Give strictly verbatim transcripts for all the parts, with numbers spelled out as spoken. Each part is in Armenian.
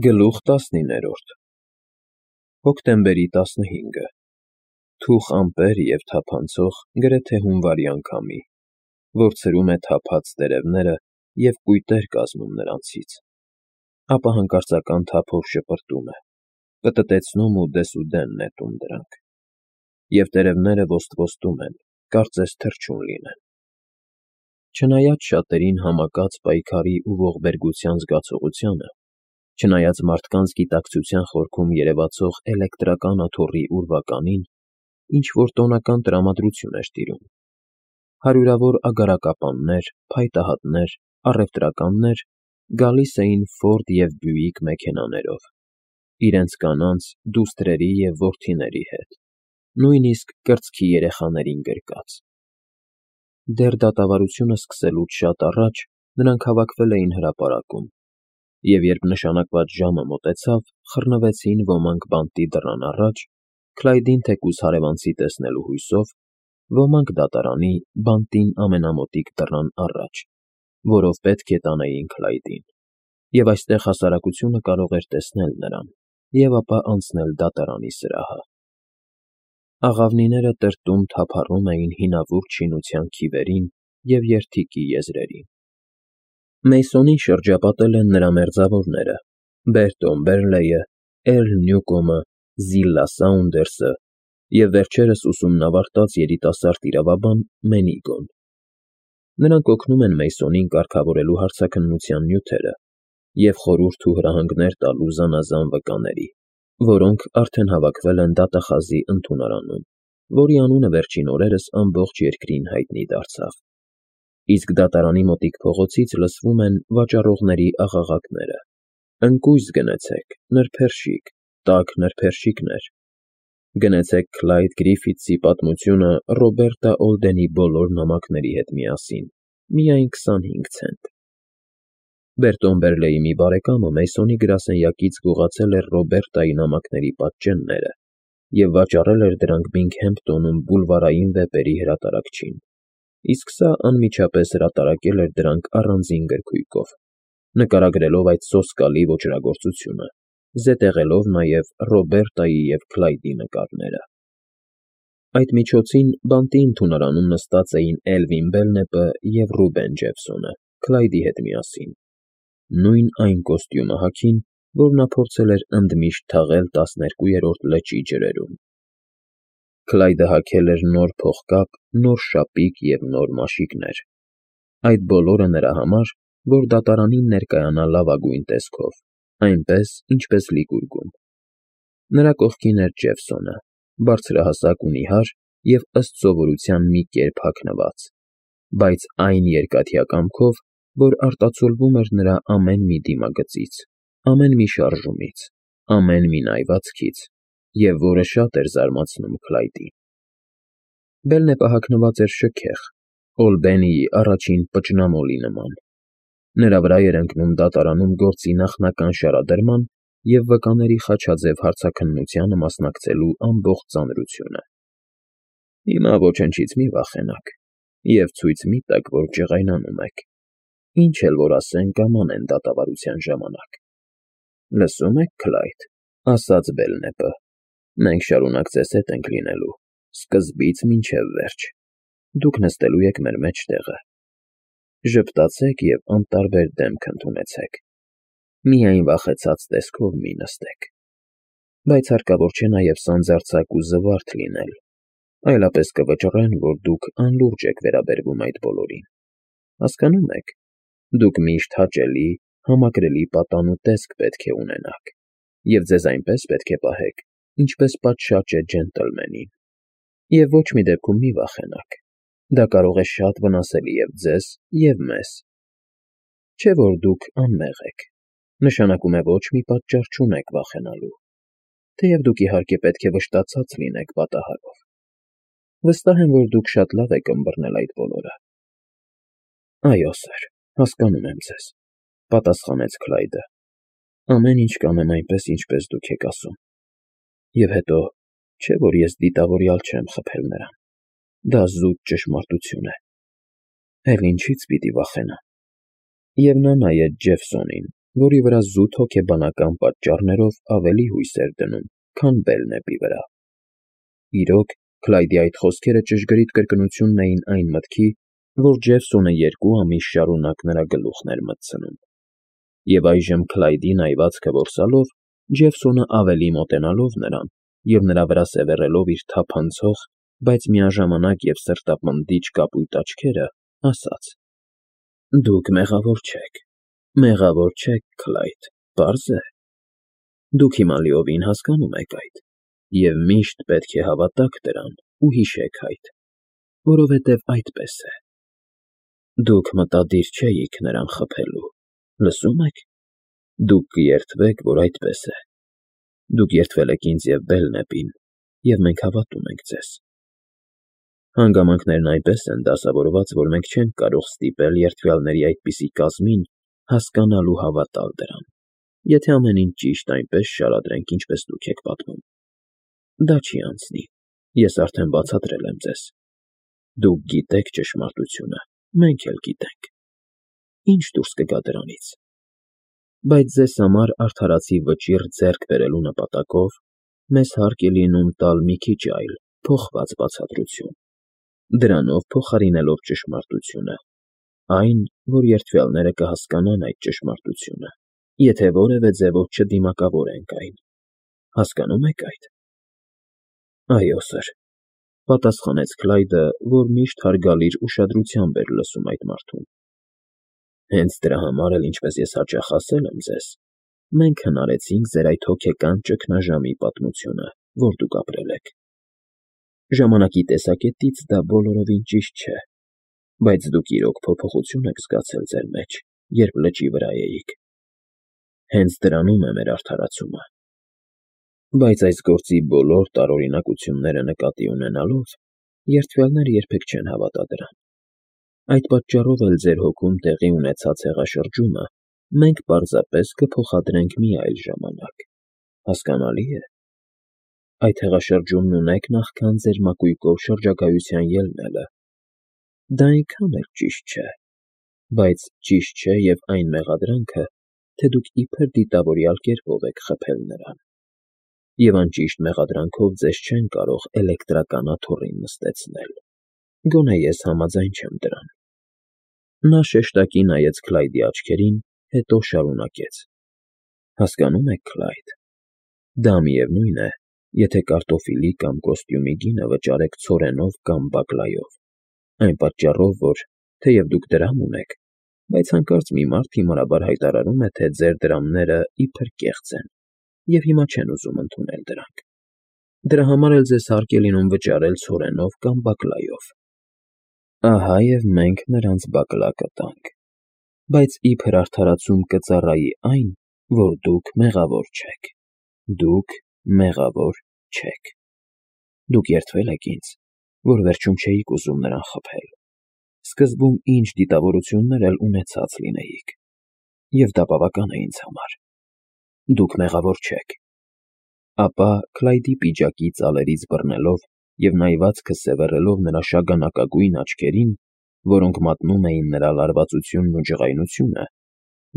Գլուխ տասնիններորդ Հոկտեմբերի տասնհինգը Թուխ ամպեր և թափանցող գրեթե հունվարյան քամի, որ ցրում է թափած տերևները և կույտեր կազմում նրանցից, ապա հանկարծական թափով շպրտում է, պտտեցնում ու դեսուդեն նետում դրանք, և տերևները ոստվոստում են, կարծես թռչուն լինեն։ Չնայած շատերին համակած պայքարի ու ողբերգության զգացողությանը, չնայած մարդկանց գիտակցության խորքում երևացող էլեկտրական աթոռի ուրվականին, ինչ-որ տոնական տրամադրություն էր տիրում. հարյուրավոր ագարակապաններ, փայտահատներ, առևտրականներ գալիս էին Ֆորդ և Բյուիկ մեքենաներով, իրենց կանանց, դուստրերի և որդիների հետ, նույնիսկ կրծքի երեխաներին գրկած։ Դեռ դատավարությունը սկսելուց շատ առաջ նրանք հավաքվել էին հրապարակում, և երբ նշանակված ժամը մոտեցավ, խռնվեցին ոմանք բանտի դռան առաջ, Քլայդին թեկուզ հարևանցի տեսնելու հույսով, ոմանք դատարանի, բանտին ամենամոտիկ դռան առաջ, որով պետք է տանեին Քլայդին, և այստեղ հասարակությունը կարող էր տեսնել նրան և ապա անցնել դատարանի սրահը։ Աղավնիները տրտում-թափառում էին հինավուրց շինության քիվերին և երդիքի եզրերին։ Մեյսոնին շրջապատել են նրա մերձավորները՝ Բերտոն Բերլեյը, Էրլ Նյուկոմը, Զիլլա Սաունդերսը և վերջերս ուսումնավարտած երիտասարդ իրավաբան Մենիգոն։ Նրանք օգնում են Մեյսոնին կարգավորելու հարցաքննության նյութերը և խորհուրդ ու հրահանգներ տալու զանազան վկաների, որոնք արդեն հավաքվել են դատախազի ընդունարանում, որի անունը վերջին օրերս ամբողջ երկրին հայտնի դարձավ։ Իսկ դատարանի մոտիկ փողոցից լսվում են վաճառողների աղաղակները. «Ընկույզ գնեցեք, նրբերշիկ, տաք նրբերշիկներ, գնեցեք Քլայդ Գրիֆիթսի պատմությունը Ռոբերտա Օլդենի բոլոր նամակների հետ միասին, միայն քսանհինգ ցենտ»։ Բերտոն Բերլեյի մի բարեկամը Մեյսոնի գրասենյակից գողացել էր Ռոբերտայի նամակների պատճենները և վաճառել էր դրանք Բինգհեմփտոնում բուլվարային վեպերի հրատարակչին, իսկ սա անմիջապես հրատարակել էր դրանք առանձին գրքույկով, նկարագրելով այդ սոսկալի ոճրագործությունը, զետեղելով նաև Ռոբերտայի և Քլայդի նկարները։ Այդ միջոցին բանտի ընդունարանում նստած էին Էլվին Բելնեպը և Ռուբեն Ջեֆսոնը Քլայդի հետ միասին, նույն այն կոստյումը հագին, որ նա փորձել էր ընդմիշտ թաղել տասներկուերորդ լճի ջրերում։ Քլայդը հագել էր նոր փողկապ, նոր շապիկ և նոր մաշիկներ, այդ բոլորը նրա համար, որ դատարանին ներկայանա լավագույն տեսքով, այնպես, ինչպես լիկուրգում։ Նրա կողքին էր Ջեֆսոնը, բարձրահասակ ու նիհար և ըստ սովորության մի կերպ հագնված, բայց այն երկաթյա կամքով, որ արտացոլվում էր նրա ամեն մի դիմագծից, ամեն մի շարժումից, ամեն մի նայվածքից, և որը շատ էր զարմացնում Քլայդին։ Բելնեպը հագնված էր շքեղ, Օլբենիի առաջին պճնամոլի նման։ Նրա վրա էր ընկնում դատարանում գործի նախնական շարադրման և վկաների խաչաձև հարցաքննությանը մասնակցելու ամբողջ ծանրությունը։ Հիմա ոչնչից մի վախենաք և ցույց մի տաք, որ ջղայնանում եք, ինչ էլ որ ասեն կամ անեն դատավարության ժամանակ։ Լսո՞ւմ եք, Քլայդ,֊ ասաց Բելնեպը,֊ մենք շարունակ ձեզ հետ ենք լինելու, սկզբից մինչև վերջ, դուք նստելու եք մեր մեջտեղը։ Ժպտացեք և անտարբեր դեմք ընդունեցեք, միայն վախեցած տեսքով մի նստեք։ Բայց հարկավոր չէ նաև սանձարձակ ու զվարթ լինել, այլապես կվճռեն, որ դուք անլուրջ եք վերաբերվում այդ բոլորին։ Հասկանո՞ւմ եք, դուք միշտ հաճելի, համակրելի պատան ու տեսք պետք է ունենաք, և ձեզ այնպես պետք է պահեք, ինչպես պատշաճ է ջենտլմենին։ Եվ ոչ մի դեպքում մի վախենաք, դա կարող է շատ վնասելի և ձեզ, և մեզ։ Չէ՞ որ դուք անմեղ եք, նշանակում է ոչ մի պատճառ չունեք վախենալու, թեև դուք իհարկե պետք է վշտացած լինեք պատահարով։ Վստահ եմ, որ դուք շատ լավ եք ըմբռնել այդ բոլորը։ Այո, սըր, հասկանում եմ ձեզ,֊ պատասխանեց Քլայդը։ Ամեն ինչ կանեմ այնպես, ինչպես դուք եք ասում։ Եվ հետո, չէ՞ որ ես դիտավորյալ չեմ խփել նրան, դա զուտ ճշմարտություն է։ Էլ ինչի՞ց պիտի վախենամ։ Եվ նա նայեց Ջեֆսոնին, որի վրա զուտ հոգեբանական պատճառներով ավելի հույս էր դնում, քան Բելնեպի վրա։ Իրոք, Քլայդի այդ խոսքերը ճշգրիտ կրկնությունն էին այն մտքի, որ Ջեֆսոնը երկու ամիս շարունակ նրա գլուխն էր մտցնում։ Եվ այժմ Քլայդի նայվածքը որսալով, Ջեֆսոնը ավելի մոտենալով նրան և նրա վրա սևեռելով իր թափանցող, բայց միաժամանակ և սրտապնդիչ կապույտ աչքերը, ասաց. «Դուք մեղավոր չեք, մեղավոր չեք, Քլայդ, պարզ է։ Դուք հիմա լիովին հասկանում եք այդ, և միշտ պետք է հավատաք դրան ու հիշեք այդ, որովհետև այդպես է։ Դուք մտադիր չէիք նրան խփելու, լսո՞ւմ եք։ Դուք կերդվեք, որ այդպես է։ Դուք երդվել եք ինձ և Բելնեպին, և մենք հավատում ենք ձեզ։ Հանգամանքներն այնպես են դասավորված, որ մենք չենք կարող ստիպել երդվյալների այդպիսի կազմին հասկանալ ու հավատալ դրան, եթե ամեն ինչ ճիշտ այնպես շարադրենք, ինչպես դուք եք պատմում։ Դա չի անցնի, ես արդեն բացատրել եմ ձեզ։ Դուք գիտեք ճշմարտությունը, մենք էլ գիտենք։ Ինչ դուրս կգա դրանից։ Բայց ձեզ համար արդարացի վճիռ ձեռք բերելու նպատակով մեզ հարկ է լինում տալ մի քիչ այլ, փոխված բացատրություն, դրանով փոխարինելով ճշմարտությունը, այն, որ երդվյալները կհասկանան այդ ճշմարտությունը, եթե որևէ ձևով չդիմակավորենք այն։ Հասկանո՞ւմ եք այդ։ Այո, սըր, պատասխանեց Քլայդը, որ միշտ հարգալից ուշադրությամբ էր լսում այդ մարդուն։ Հենց դրա համար էլ, ինչպես ես հաճախ ասել եմ ձեզ, մենք հնարեցինք ձեր այդ հոգեկան ճգնաժամի պատմությունը, որ դուք ապրել եք։ Ժամանակի տեսակետից դա բոլորովին ճիշտ չէ, բայց դուք իրոք փոփոխություն եք զգացել ձեր մեջ, երբ լճի վրա էիք։ Հենց դրանում է մեր արդարացումը։ Բայց այս գործի բոլոր տարօրինակությունները նկատի ունենալով, երդվյալները երբեք չեն հավատա դրան։ Այդ պատճառով էլ ձեր հոգում տեղի ունեցած հեղաշրջումը մենք պարզապես կփոխադրենք մի այլ ժամանակ։ Հասկանալի է։ Այդ հեղաշրջումն ունեք նախքան ձեր մակույկով շրջագայության ելնելը։ Դա այնքան էլ ճիշտ չէ, բայց ճիշտ չէ և այն մեղադրանքը, թե դուք իբր դիտավորյալ կերպով եք խփել նրան։ Եվ անճիշտ մեղադրանքով ձեզ չեն կարող էլեկտրական աթոռին նստեցնել։ Գոնե ես համաձայն չեմ դրան։ Նա շեշտակի նայեց Քլայդի աչքերին, հետո շարունակեց. Հասկանո՞ւմ եք, Քլայդ, դա միևնույն է, եթե կարտոֆիլի կամ կոստյումի գինը վճարեք ցորենով կամ բակլայով, այն պատճառով, որ, թեև դուք դրամ ունեք, բայց հանկարծ մի մարդ հիմարաբար հայտարարում է, թե ձեր դրամները իբր կեղծ են, և հիմա չեն ուզում ընդունել դրանք։ Դրա համար էլ ձեզ հարկ է լինում վճարել ցորենով կամ բակլայով։ Ահա և մենք նրանց բակլա կտանք, բայց իբր արդարացում կծառայի այն, որ դուք մեղավոր չեք։ Դուք մեղավոր չեք։ Դուք երդվել եք ինձ, որ վերջում չէիք ուզում նրան խփել։ Սկզբում ինչ դիտավորություններ էլ ունեցած լինեիք, և դա բավական է ինձ համար։ Դուք մեղավոր չեք։ Ապա Քլայդի պիջակի ծալերից բռնելով և նայվածքը սևեռելով նրա շագանակագույն աչքերին, որոնք մատնում էին նրա լարվածությունն ու ջղայնությունը,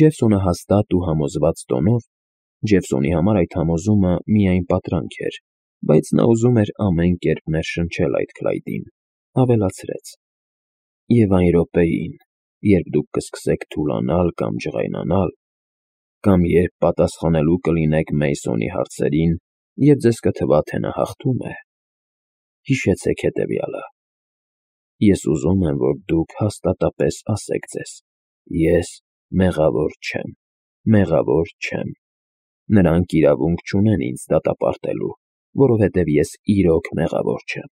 Ջեֆսոնը հաստատ ու համոզված տոնով (Ջեֆսոնի համար այդ համոզումը միայն պատրանք էր, բայց նա ուզում էր ամեն կերպ ներշնչել այդ Քլայդին) ավելացրեց. «Եվ այն րոպեին, երբ դուք կսկսեք թուլանալ կամ ջղայնանալ, կամ երբ պատասխանելու կլինեք Մեյսոնի հարցերին, և ձեզ կթվա, թե նա հաղթում է, հիշեցեք հետևյալը. ես ուզում եմ, որ դուք հաստատապես ասեք ձեզ. ես մեղավոր չեմ, մեղավոր չեմ։ Նրանք իրավունք չունեն ինձ դատապարտելու, որովհետև ես իրոք մեղավոր չեմ։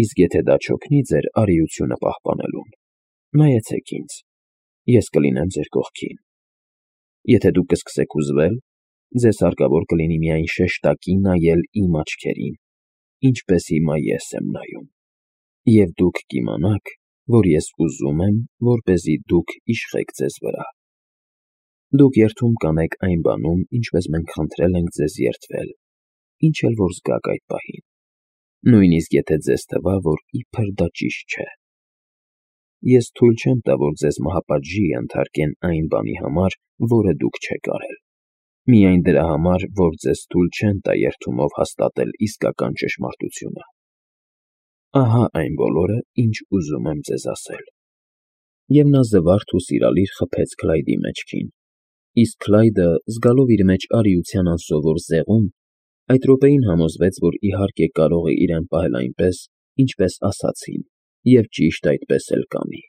Իսկ եթե դա չօգնի ձեր արիությունը պահպանելուն, նայեցեք ինձ, ես կլինեմ ձեր կողքին։ Եթե դուք կսկսեք հուզվել, ձեզ հարկավոր կլինի միայն շեշտակի նայել իմ աչքերին, ինչպես հիմա ես եմ նայում, և դուք կիմանաք, որ ես ուզում եմ, որպեսզի դուք իշխեք ձեզ վրա։ Դուք երդում կանեք այն բանում, ինչպես մենք խնդրել ենք ձեզ երդվել, ինչ էլ որ զգաք այդ պահին, նույնիսկ եթե ձեզ թվա, որ իբր դա ճիշտ չէ։ ես թույլ չեմ տա, որ ձեզ մահապատժի ենթարկեն այն բանի համար, որը դուք չեք արել, միայն դրա համար, որ ձեզ թույլ չեն տա երդումով հաստատել իսկական ճշմարտությունը։ Ահա այն բոլորը, ինչ ուզում եմ ձեզ ասել։ Եվ նա զվարթ ու սիրալիր խփեց Քլայդի մեջքին, իսկ Քլայդը, զգալով իր մեջ արիության անսովոր զեղում, այդ րոպեին համոզվեց, որ իհարկե կարող է իրեն պահել այնպես, ինչպես ասացին, և ճիշտ այդպես էլ կանի։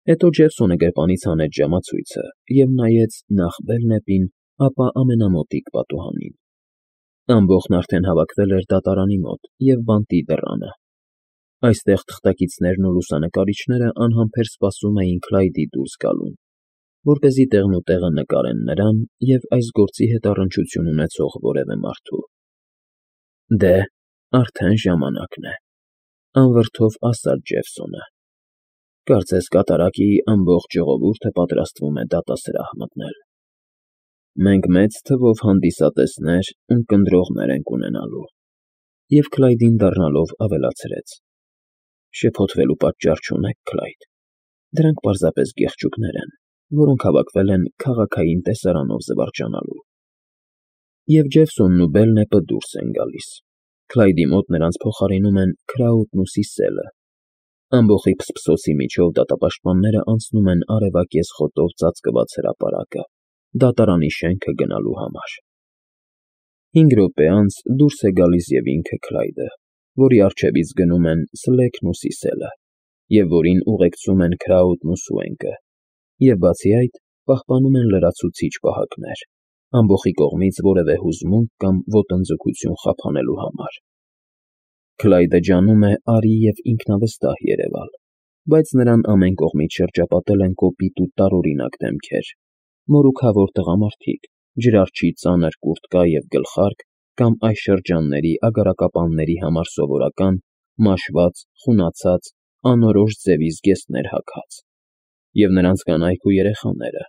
Հետո Ջեֆսոնը գրպանից հանեց ժամացույցը և նայեց նախ Բելնեպին, ապա ամենամոտիկ պատուհանին։ Ամբոխն արդեն հավաքվել էր դատարանի մոտ և բանտի դռանը։ Այստեղ թղթակիցներն ու լուսանկարիչները անհամբեր սպասում էին Քլայդի դուրս գալուն, որպեսզի տեղնուտեղը նկարեն նրան և այս գործի հետ առնչություն ունեցող որևէ մարդու։ Դե, արդեն ժամանակն է, անվրդով ասաց Ջեֆսոնը։ Կարծես կատարակի ամբողջ ժողովուրդը պատրաստվում է դատասրահ մտնել։ Մենք մեծ թվով հանդիսատեսներ ու կնդրողներ ենք ունենալու։ Եվ Քլայդին դառնալով ավելացրեց. Շփոթվելու պատճառ չունեք, Քլայդ։ Դրանք պարզապես գեղչուկներ են, որոնք հավաքվել են քաղաքային տեսարանով զվարճանալու։ Եվ Ջեֆսոնն ու Բելնեպը դուրս են գալիս։ Քլայդի մոտ նրանց փոխարինում են Քրաուտն ու Սիսելը։ Ամբոխի փսփսոցի միջով դատապաշտպանները անցնում են արևակեզ խոտով ծածկված հրապարակը, դատարանի շենքը գնալու համար։ Հինգ րոպե անց դուրս է գալիս և ինքը Քլայդը, որի առջևից գնում են Սլեյքն ու Սիսելը, և որին ուղեկցում են Քրաուտն ու Սուենկը, և բացի այդ, պահպանում են լրացուցիչ պահակներ, ամբոխի կողմից որևէ հուզմունք կամ ոտնձգություն խափանելու համար։ Քլայդը ջանում է արի և ինքնավստահ երևալ, բայց նրան ամեն կողմից շրջապատել են կոպիտ ու տարօրինակ դեմքեր, մորուքավոր տղամարդիկ, ջրարջի ծանր կուրտկա և գլխարկ կամ այս շրջանների ագարակապանների համար սովորական, մաշված, խունացած, անորոշ ձևի զգեստներ հագած, և նրանց կանայք ու երեխաները,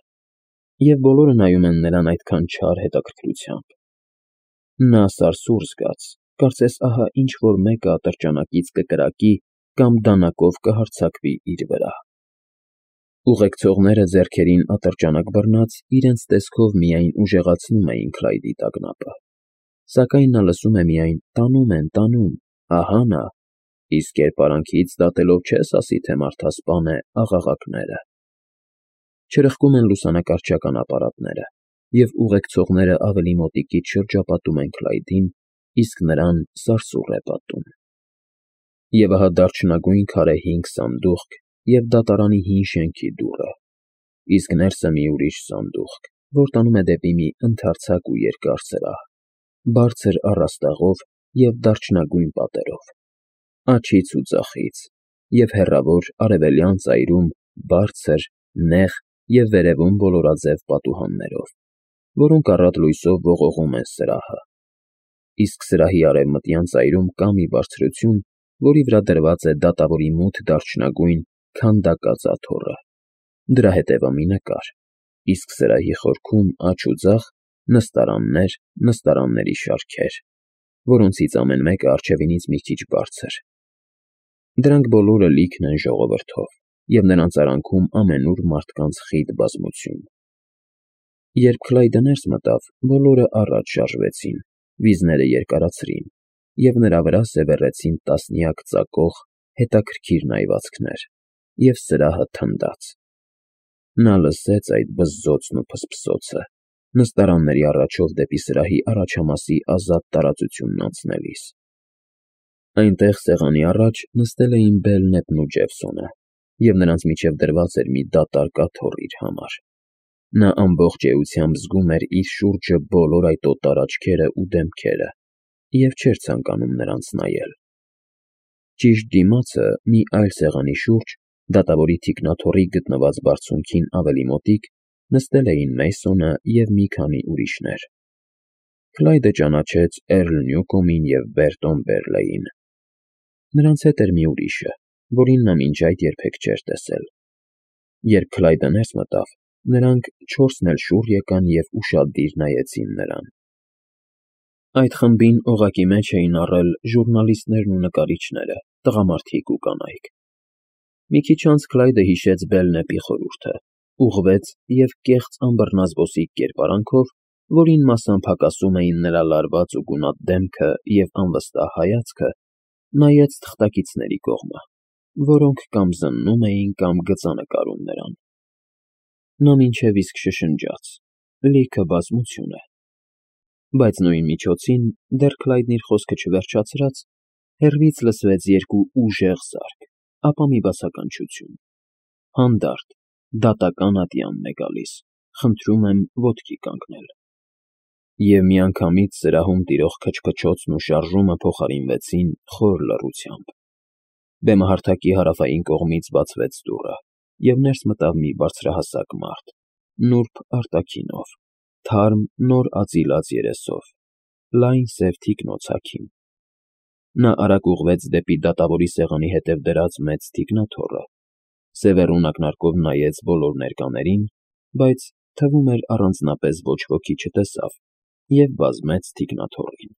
և բոլորը նայում են նրան այդքան չար հետաքրքրությամբ։ Նա սարսուռ զգաց, կարծես ահա ինչ֊որ մեկը ատրճանակից կկրակի կամ դանակով կհարձակվի իր վրա։ Ուղեկցողները ձեռքերին ատրճանակ բռնած իրենց տեսքով միայն ուժեղացնում էին Քլայդի տագնապը, սակայն նա լսում է միայն «տանում են, տանում, ահա նա», իսկ կերպարանքից դատելով չես ասի, թե մարդասպան է, աղաղակները։ Չրպկում են լուսանկարչական ապարատները, և ուղեկցողները ավելի մոտիկից շրջապատում են Քլայդին, իսկ նրան սարսուռ է պատում։ Եվ ահա դարչնագույն քարե հինգ սանդուղք և դատարանի հին շենքի դուռը, իսկ ներսը մի ուրիշ սանդուղք, որ տանում է դեպի մի ընդարձակ ու երկար սրահ, բարձր առաստաղով և դարչնագույն պատերով, աջից ու ձախից, և հեռավոր արևելյան ծայրում բարձր, նեղ և վերևում ոլորաձև պատուհաններով, որոնք առատ լույսով ողողում են սրահը, իսկ սրահի արևմտյան ծայրում կա մի բարձրություն, որի վրա դրված է դատավորի մութ դարչնագույն քանդակած աթոռը, դրա հետևը մի նկար, իսկ սրահի խորքում աջ ու ձախ նստարաններ, նստարանների շարքեր, որոնցից ամեն մեկը առջևինից մի քիչ բարձր։ Դրանք բոլորը լիքն են ժողովրդով, և նրանց արանքում ամենուր մարդկանց խիտ բազմություն։ Երբ Քլայդը ներս մտավ, բոլորը առաջ շարժվեցին, վիզները երկարացրին, և նրա վրա սևեռեցին տասնյակ ծակող, հետաքրքիր նայվածքներ, և սրահը թնդաց։ Նա լսեց այդ բզզոցն ու փսփսոցը, նստարանների առաջով դեպի սրահի առաջամասի ազատ տարածությունն անցնելիս։ Այնտեղ սեղանի առաջ նստել էին Բելնեպն ու Ջեֆսոնը, և նրանց միջև դրված էր մի դատարկ աթոռ իր համար։ Նա ամբողջ էությամբ զգում էր իր շուրջը բոլոր այդ օտար աչքերը ու դեմքերը և չէր ցանկանում նրանց նայել։ Ճիշտ դիմացը, մի այլ սեղանի շուրջ, դատավորի թիկնաթոռի գտնված բարձունքին ավելի մոտիկ, նստել էին Մեյսոնը և մի քանի ուրիշներ։ Քլայդը ճանաչեց Էռլ Նյուկոմին և Բերտոն Բերլեյին։ Նրանց հետ էր մի ուրիշը, որին նա մինչ այդ երբեք չէր տեսել։ Երբ Քլայդը ներս մտավ, նրանք չորսն էլ շուռ եկան և ուշադիր նայեցին նրան։ Այդ խմբին օղակի մեջ էին առել ժուռնալիստներն ու նկարիչները, տղամարդիկ ու կանայք։ Մի քիչ անց Քլայդը հիշեց Բելնեպի խորհուրդը, ուղղվեց և կեղծ անբռնազբոսիկ կերպարանքով, որին մասամբ հակասում էին նրա լարված ու գունատ դեմքը և անվստահ հայացքը, նայեց թղթակիցների կողմը, որոնք կամ զննում էին, կամ գծանկարում նրան. նա մինչև իսկ շշնջաց. «Լիքը բազմություն է»։ Բայց նույն միջոցին, դեռ Քլայդն իր խոսքը չվերջացրած, հեռվից լսվեց երկու ուժեղ զարկ, ապա մի բացականչություն. «Հանդարտ, դատական ատյանն է գալիս, խնդրում եմ ոտքի կանգնել»։ Եվ միանգամից սրահում տիրող քչփչոցն ու շարժումը փոխարինվեցին խոր լռությամբ։ Բեմահարթակի հարավային կողմից բացվեց դուռը, և ներս մտավ մի բարձրահասակ մարդ, նուրբ արտաքինով, թարմ, նոր ածիլած երեսով, լայն սև թիկնոց հագին։ Նա արագ ուղղվեց դեպի դատավորի սեղանի հետև դրած մեծ թիկնաթոռը, սևեռուն ակնարկով նայեց բոլոր ներկաներին, բայց, թվում էր, առանձնապես ոչ ոքի չտեսավ և վազեց թիկնաթոռին։